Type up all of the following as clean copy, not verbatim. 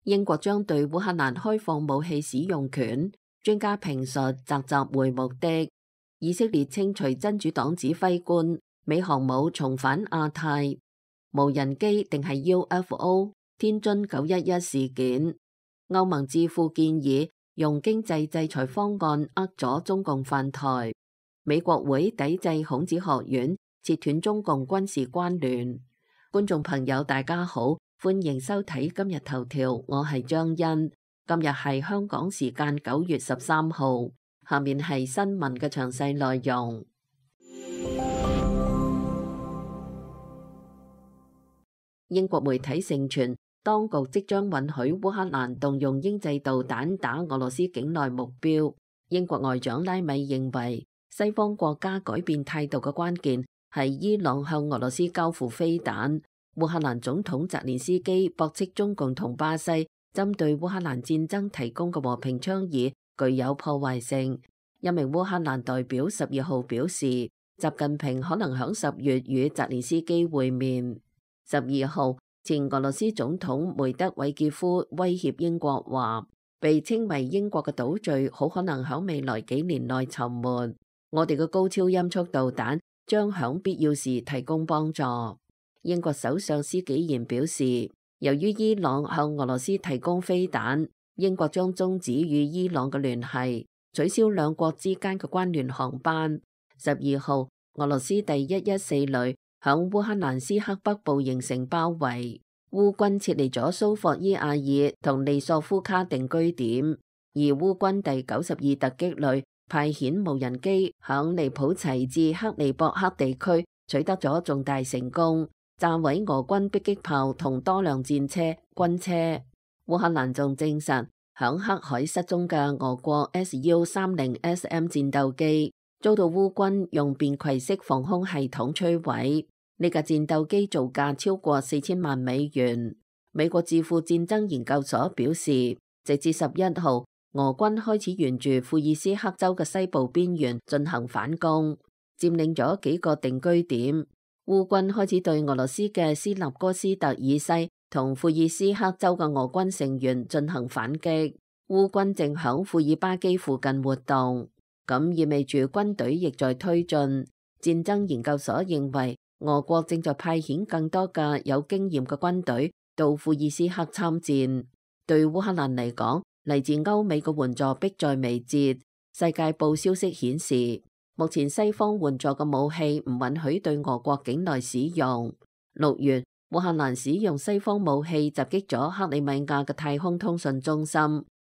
英國將對烏克蘭開放武器使用權，專家評述習習會目的。以色列稱隨真主黨指揮官美航母重返亞太，無人機定係 UFO？ 天津911事件，歐盟智庫建議用經濟制裁方案扼阻中共犯台，美國會抵制孔子學院，切斷中共軍事關聯。觀眾朋友大家好，歡迎收睇今日頭條，我係張欣。今日係香港時間9月13號，下面係新聞嘅詳細內容。英國媒體盛傳，當局即將允許烏克蘭動用英製導彈打俄羅斯境內目標。英國外長拉米認為，西方國家改變態度嘅關鍵係伊朗向俄羅斯交付飛彈。烏克蘭總統澤連斯基駁斥中共同巴西針對烏克蘭戰爭提供嘅和平倡議具有破壞性。一名烏克蘭代表12號表示，習近平可能響10月與澤連斯基會面。12號，前俄羅斯總統梅德韋傑夫威脅英國話，被稱為英國嘅島嶼好可能響未來幾年內沉沒。我哋嘅高超音速導彈將響必要時提供幫助。英國首相施紀賢表示，由於伊朗向俄羅斯提供飛彈，英國將終止與伊朗嘅聯繫，取消兩國之間嘅關聯航班。12號，俄羅斯第114旅響烏克蘭斯克北部形成包圍，烏軍撤離咗蘇霍伊亞爾同利索夫卡定居點，而烏軍第92突擊旅派遣無人機響尼普齊至克利博克地區取得咗重大成功，炸毀俄軍迫擊炮同多輛戰車、軍車。烏克蘭仲證實，響黑海失蹤嘅俄國 Su-30SM 戰鬥機遭到烏軍用便攜式防空系統摧毀。呢架戰鬥機造價超過4000萬美元。美國智庫戰爭研究所表示，直至11號，俄軍開始沿住庫爾斯克州嘅西部邊緣進行反攻，佔領咗幾個定居點。烏軍開始對俄羅斯嘅斯納哥斯特以西同庫爾斯克州嘅俄軍成員進行反擊。烏軍正響庫爾巴基附近活動，咁意味住軍隊亦在推進。戰爭研究所認為，俄國正在派遣更多嘅有經驗嘅軍隊到庫爾斯克參戰。對烏克蘭嚟講，嚟自歐美嘅援助迫在眉睫。世界報消息顯示，目前西方援助嘅武器唔允許對俄國境內使用。6月，烏克蘭使用西方武器襲擊咗克里米亞嘅太空通訊中心，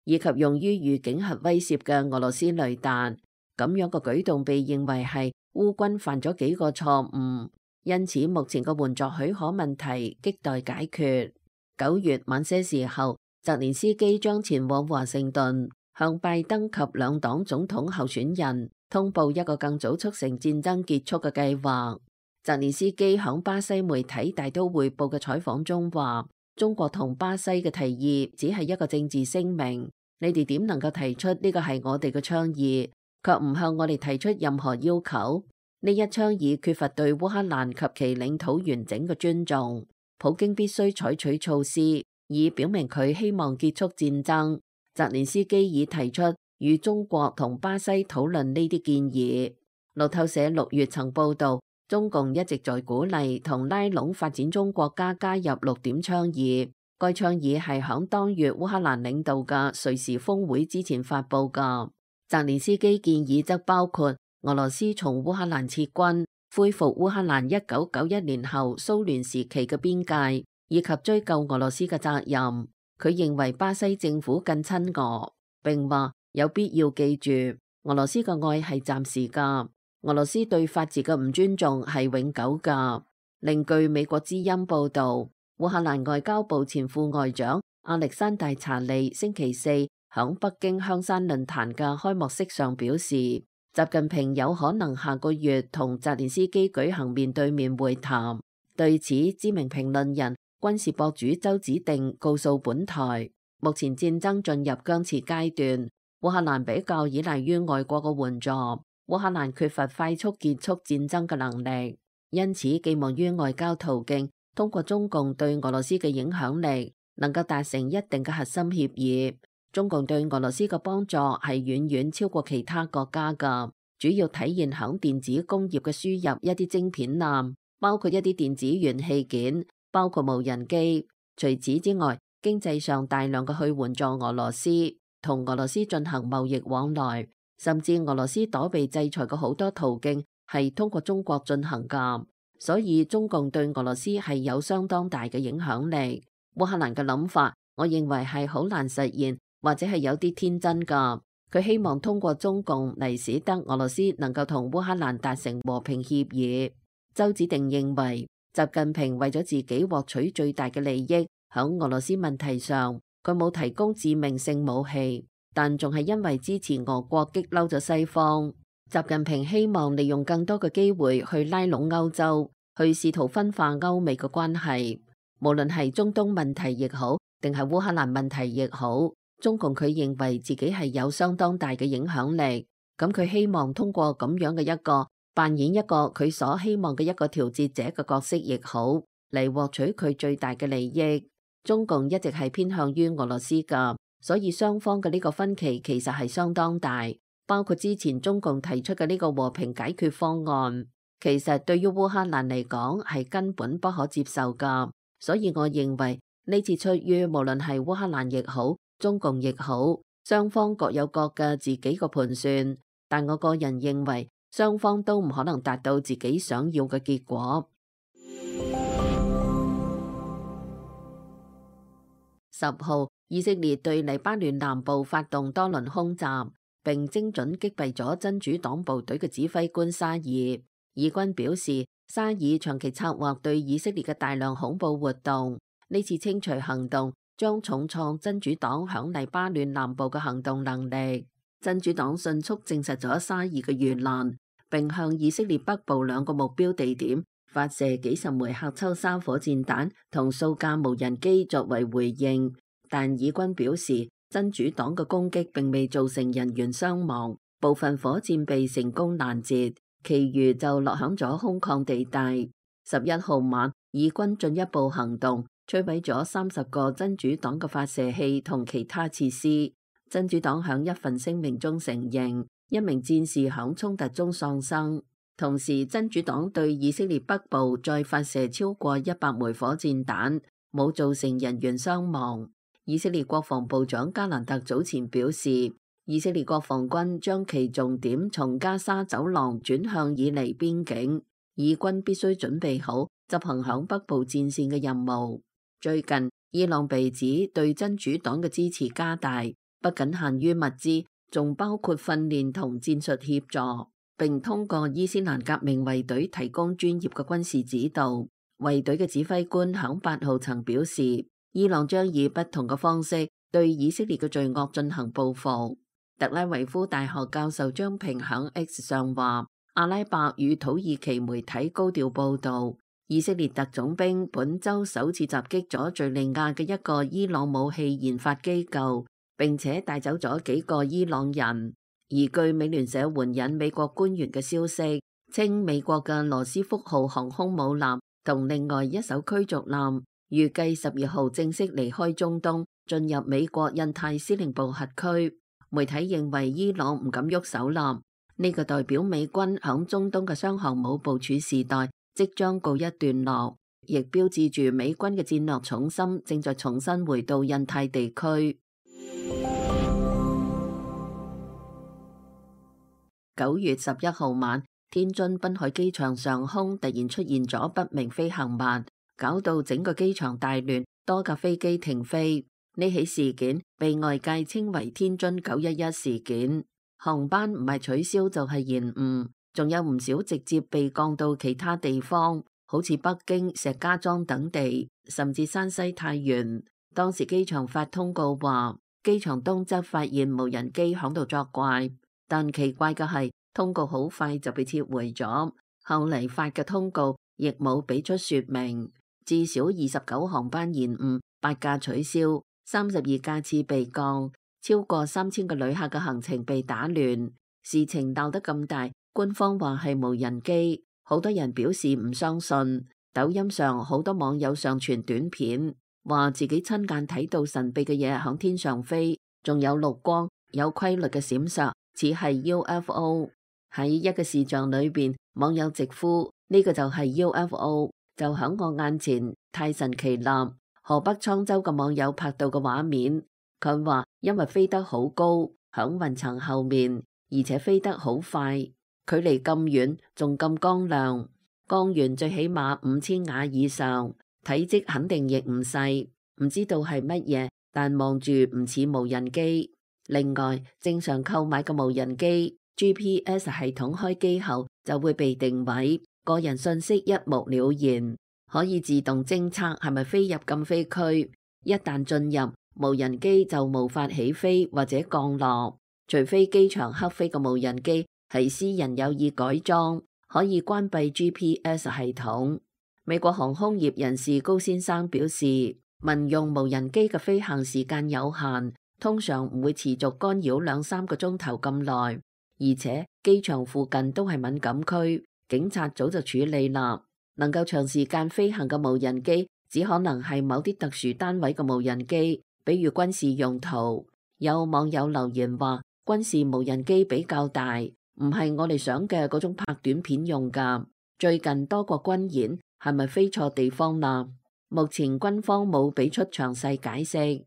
以及用於預警核威懾嘅俄羅斯雷達。咁樣嘅舉動被認為係烏軍犯咗幾個錯誤。因此，目前嘅援助許可問題亟待解決。9月晚些時候，澤連斯基將前往華盛頓，向拜登及兩黨總統候選人通報一個更早促成戰爭結束嘅計劃。澤連斯基響巴西媒體大都會報嘅採訪中話，中國同巴西嘅提議只係一個政治聲明，你哋點能夠提出呢個係我哋嘅倡議，卻唔向我哋提出任何要求？呢一倡議缺乏對烏克蘭及其領土完整嘅尊重，普京必須採取措施，以表明佢希望結束戰爭。澤連斯基已提出與中國同巴西討論呢啲建議。路透社6月曾報道，中共一直在鼓勵同拉攏發展中國家加入6點倡議。該倡議係響當月烏克蘭領導嘅瑞士峰會之前發佈㗎。澤連斯基建議則包括俄羅斯從烏克蘭撤軍，恢復烏克蘭1991年後蘇聯時期嘅邊界，以及追究俄羅斯嘅責任。佢認為巴西政府更親俄，並話有必要記住，俄羅斯嘅愛係暫時㗎，俄羅斯對法治嘅唔尊重係永久㗎。另據美國之音報導，烏克蘭外交部前副外長亞歷山大查利星期四響北京香山論壇嘅開幕式上表示，習近平有可能下個月同澤連斯基舉行面對面會談。對此，知名評論人、軍事博主周子定告訴本台，目前戰爭進入僵持階段，烏克蘭比較依賴於外國嘅援助，烏克蘭缺乏快速結束戰爭嘅能力，因此寄望於外交途徑，通過中共對俄羅斯嘅影響力，能夠達成一定嘅核心協議。中共對俄羅斯嘅幫助係遠遠超過其他國家㗎，主要體現響電子工業嘅輸入一啲晶片艦，包括一啲電子元器件，包括無人機。除此之外，經濟上大量嘅去援助俄羅斯，同俄羅斯進行貿易往來，甚至俄羅斯躲避制裁嘅好多途徑係通過中國進行㗎。所以中共對俄羅斯係有相當大嘅影響力。烏克蘭嘅諗法，我認為係好難實現，或者係有啲天真㗎。佢希望通過中共嚟使得俄羅斯能夠同烏克蘭達成和平協議。周子定認為，習近平為咗自己獲取最大嘅利益，響俄羅斯問題上，佢冇提供致命性武器，但仲係因為支持俄國激嬲咗西方。習近平希望利用更多嘅機會去拉攏歐洲，去試圖分化歐美嘅關係。無論係中東問題亦好，定係烏克蘭問題亦好，中共佢認為自己係有相當大嘅影響力。咁佢希望通過咁樣嘅一個扮演一個佢所希望嘅一個調節者嘅角色亦好，嚟獲取佢最大嘅利益。中共一直係偏向於俄羅斯㗎，所以雙方嘅呢個分歧其實係相當大。包括之前中共提出嘅呢個和平解決方案，其實對於烏克蘭嚟講係根本不可接受㗎。所以我認為呢次出於無論係烏克蘭亦好，中共亦好，雙方各有各嘅自己嘅盤算，但我個人認為雙方都唔可能達到自己想要嘅結果。10號，以色列對黎巴嫩南部發動多輪空襲，並精準擊斃咗真主黨部隊嘅指揮官沙爾。以軍表示，沙爾長期策劃對以色列嘅大量恐怖活動，呢次清除行動將重創真主黨響黎巴嫩南部嘅行動能力。真主黨迅速證實咗沙爾嘅遇難，並向以色列北部2個目標地點發射幾十枚喀秋莎火箭彈同數架無人機作為回應，但以軍表示真主黨嘅攻擊並未造成人員傷亡，部分火箭被成功攔截，其餘就落響咗空曠地帶。11號晚，以軍進一步行動，摧毀咗30個真主黨嘅發射器同其他設施。真主黨響一份聲明中承認，一名戰士響衝突中喪生。同時，真主黨對以色列北部再發射超過100枚火箭彈，冇造成人員傷亡。以色列國防部長加蘭特早前表示，以色列國防軍將其重點從加沙走廊轉向以黎邊境，以軍必須準備好執行響北部戰線嘅任務。最近，伊朗被指對真主黨嘅支持加大，不僅限於物資，仲包括訓練同戰術協助，並通過伊斯蘭革命衛隊提供專業嘅軍事指導。衛隊嘅指揮官響8號曾表示，伊朗將以不同嘅方式對以色列嘅罪惡進行報復。特拉維夫大學教授張平響 X 上話，阿拉伯與土耳其媒體高調報道，以色列特種兵本週首次襲擊咗敘利亞嘅一個伊朗武器研發機構，並且帶走咗幾個伊朗人。而據美聯社援引美國官員嘅消息，稱美國嘅羅斯福號航空母艦同另外一艘驅逐艦預計12號正式離開中東，進入美國印太司令部轄區。媒體認為伊朗唔敢喐手艦，呢個代表美軍響中東嘅雙航母部署時代即將告一段落，亦標誌住美軍嘅戰略重心正在重新回到印太地區。9月11號晚，天津濱海機場上空突然出現咗不明飛行物，搞到整個機場大亂，多架飛機停飛。呢起事件被外界稱為天津911事件，航班唔係取消就係延誤，仲有唔少直接被降到其他地方，好似北京、石家莊等地，甚至山西太原。當時機場發通告話，機場東側發現無人機響度作怪，但奇怪嘅係通告好快就被撤回咗，後嚟發嘅通告亦冇俾出說明。至少29航班延誤，8架取消，32架次被降，超過3000個旅客嘅行程被打亂。事情鬧得咁大，官方話係無人機，好多人表示唔相信。抖音上好多網友上傳短片，話自己親眼睇到神秘嘅嘢響天上飛，仲有綠光，有規律嘅閃爍，似係 UFO。喺一個視像裏邊，網友直呼呢個就係 UFO， 就響我眼前，太神奇啦！河北滄州嘅網友拍到嘅畫面，佢話因為飛得好高，響雲層後面，而且飛得好快，距離咁遠，仲咁光亮，光源最起碼5000瓦以上，體積肯定亦唔細，唔知道係乜嘢，但望住唔似無人機。另外，正常購買嘅無人機 GPS 系統開機後就會被定位，個人信息一目了然，可以自動偵測係咪飛入禁飛區。一旦進入，無人機就無法起飛或者降落，除非機場黑飛嘅無人機係私人有意改裝，可以關閉 GPS 系統。美國航空業人士高先生表示，民用無人機嘅飛行時間有限，通常唔會持續干擾2-3個鐘頭咁耐，而且機場附近都係敏感區，警察早就處理啦。能夠長時間飛行嘅無人機，只可能係某啲特殊單位嘅無人機，比如軍事用途。有網友留言話，軍事無人機比較大，唔係我哋想嘅嗰種拍短片用噶。最近多國軍演，係咪飛錯地方啦？目前軍方冇俾出詳細解釋。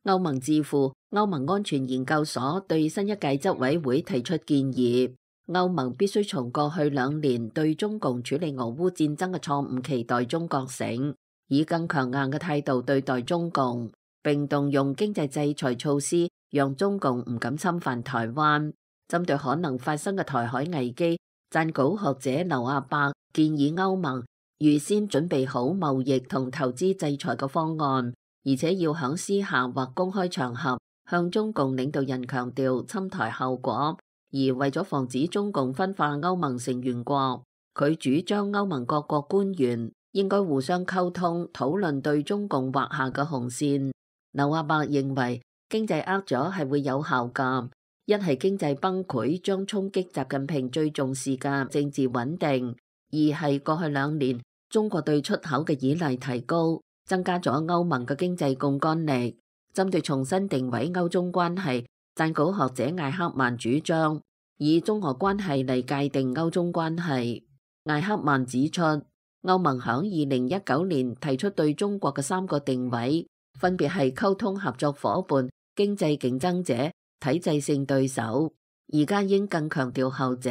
歐盟智庫歐盟安全研究所對新一屆執委會提出建議，歐盟必須從過去2年對中共處理俄烏戰爭嘅錯誤期待中覺醒，以更強硬嘅態度對待中共，並動用經濟制裁措施，讓中共唔敢侵犯台灣。針對可能發生嘅台海危機，撰稿學者劉亞伯建議歐盟預先準備好貿易同投資制裁嘅方案，而且要響私下或公開場合向中共領導人強調侵台後果。而為咗防止中共分化歐盟成員國，佢主張歐盟各國官員應該互相溝通，討論對中共劃下嘅紅線。劉亞伯認為經濟握咗係會有效㗎。一係經濟崩潰將衝擊習近平最重視嘅政治穩定；二係過去2年中國對出口嘅依賴提高，增加咗歐盟嘅經濟槓桿力。針對重新定位歐中關係，撰稿學者艾克曼主張以中俄關係嚟界定歐中關係。艾克曼指出，歐盟響2019年提出對中國嘅3個定位，分別係溝通合作夥伴、經濟競爭者、體制性對手。而家應更強調後者。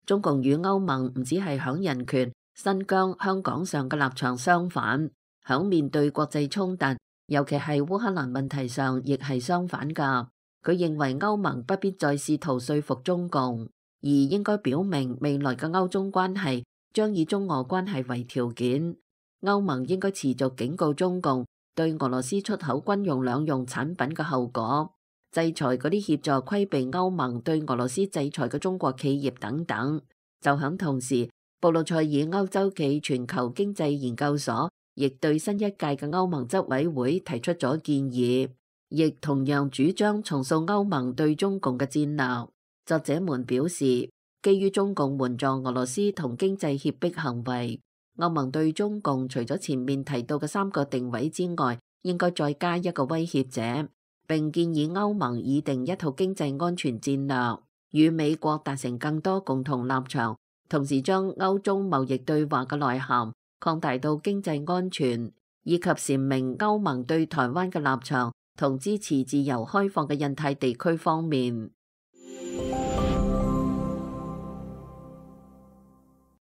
中共與歐盟唔只係響人權、新疆、香港上嘅立場相反，響面對國際衝突，尤其係烏克蘭問題上，亦係相反㗎。佢認為歐盟不必再試圖說服中共，而應該表明未來嘅歐中關係將以中俄關係為條件。歐盟應該持續警告中共對俄羅斯出口軍用兩用產品嘅後果，制裁嗰啲協助規避歐盟對俄羅斯制裁嘅中國企業等等。就響同時，布魯塞爾歐洲暨全球經濟研究所亦對新一屆嘅歐盟執委會提出咗建議，亦同樣主張重塑歐盟對中共嘅戰略。作者們表示，基於中共援助俄羅斯同經濟脅迫行為，歐盟對中共除咗前面提到嘅3個定位之外，應該再加一個威脅者，並建議歐盟擬定一套經濟安全戰略，與美國達成更多共同立場，同時將歐中貿易對話嘅內涵擴大到經濟安全，以及闡明歐盟對台灣嘅立場同支持自由開放嘅印太地區方面。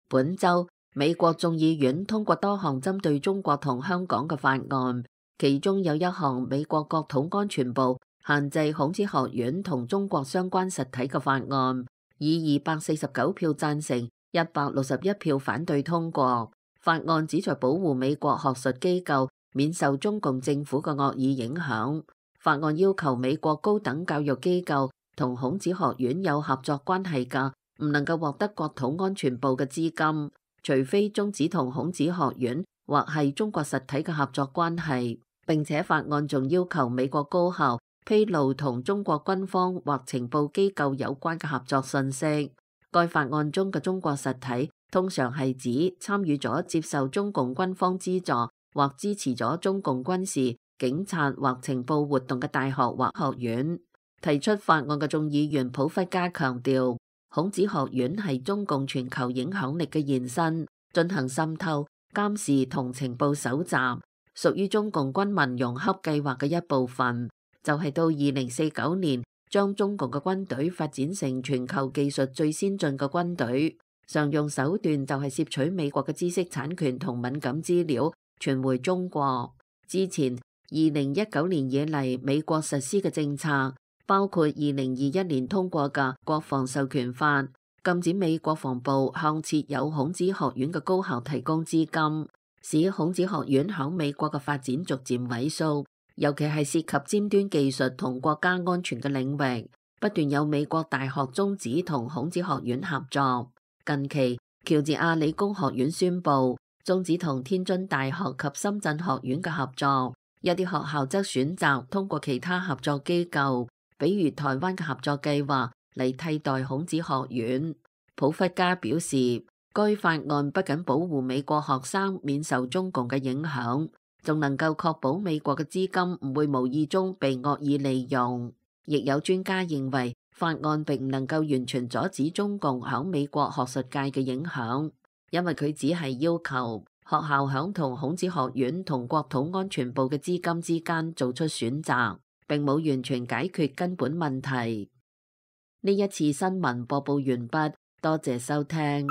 本週，美國眾議院通過多項針對中國同香港嘅法案，其中有一項美國國土安全部限制孔子學院同中國相關實體嘅法案，以249票贊成、161票反對通過。法案旨在保護美國學術機構免受中共政府嘅惡意影響。法案要求美國高等教育機構同孔子學院有合作關係嘅，唔能夠獲得國土安全部嘅資金，除非終止同孔子學院或係中國實體嘅合作關係。並且法案仲要求美國高校披露同中國軍方或情報機構有關嘅合作信息。該法案中嘅中國實體通常係指參與咗接受中共軍方資助或支持咗中共軍事、警察或情報活動嘅大學或學院。提出法案嘅眾議員普弗加強調，孔子學院係中共全球影響力嘅延伸，進行滲透、監視同情報搜集，屬於中共軍民融合計劃嘅一部分，就係到2049年將中共嘅軍隊發展成全球技術最先進嘅軍隊。常用手段就係竊取美國嘅知識產權同敏感資料，傳回中國。之前2019年以嚟，美國實施嘅政策包括2021年通過嘅國防授權法，禁止美國防部向設有孔子學院嘅高校提供資金，使孔子學院響美國嘅發展逐漸萎縮，尤其係涉及尖端技術同國家安全嘅領域，不斷有美國大學終止同孔子學院合作。近期，喬治亞理工學院宣布終止同天津大學及深圳學院嘅合作，一啲學校則選擇通過其他合作機構，比如台灣嘅合作計劃嚟替代孔子學院。普弗加表示，該法案不僅保護美國學生免受中共嘅影響，仲能夠確保美國嘅資金唔會無意中被惡意利用。亦有專家認為，法案並唔能夠完全阻止中共響美國學術界嘅影響，因為佢只係要求學校響同孔子學院同國土安全部嘅資金之間做出選擇，並冇完全解決根本問題。呢一次新聞播報完畢，多謝收聽。